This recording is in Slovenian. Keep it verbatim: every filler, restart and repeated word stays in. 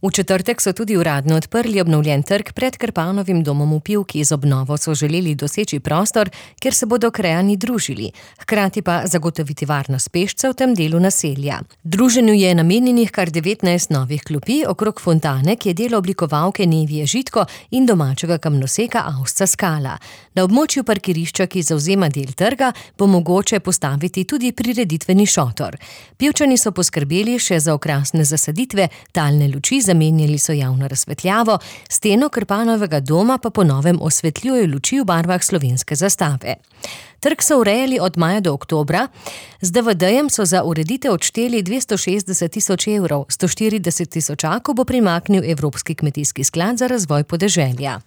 V četrtek so tudi uradno odprli obnovljen trg pred Krpanovim domom v Pivki. Z obnovo so želeli doseči prostor, kjer se bodo krajani družili, hkrati pa zagotoviti varnost pešcev v tem delu naselja. Druženju je namenjenih kar devetnajst novih klopi okrog fontane, ki je delo oblikovalke Nevije Žitko in domačega kamnoseka Avsca Skala. Na območju parkirišča, ki zavzema del trga, bo mogoče postaviti tudi prireditveni šotor. Pivčani so poskrbeli še za okrasne zasaditve, talne luči, zamenjali so javno razsvetljavo, steno Krpanovega doma pa po novem osvetljujejo luči v barvah slovenske zastave. Trg so urejali od maja do oktobra, z D V D-jem so za ureditev odšteli dvesto šestdeset tisoč evrov, sto štirideset tisočakov bo primaknil Evropski kmetijski sklad za razvoj podeželja.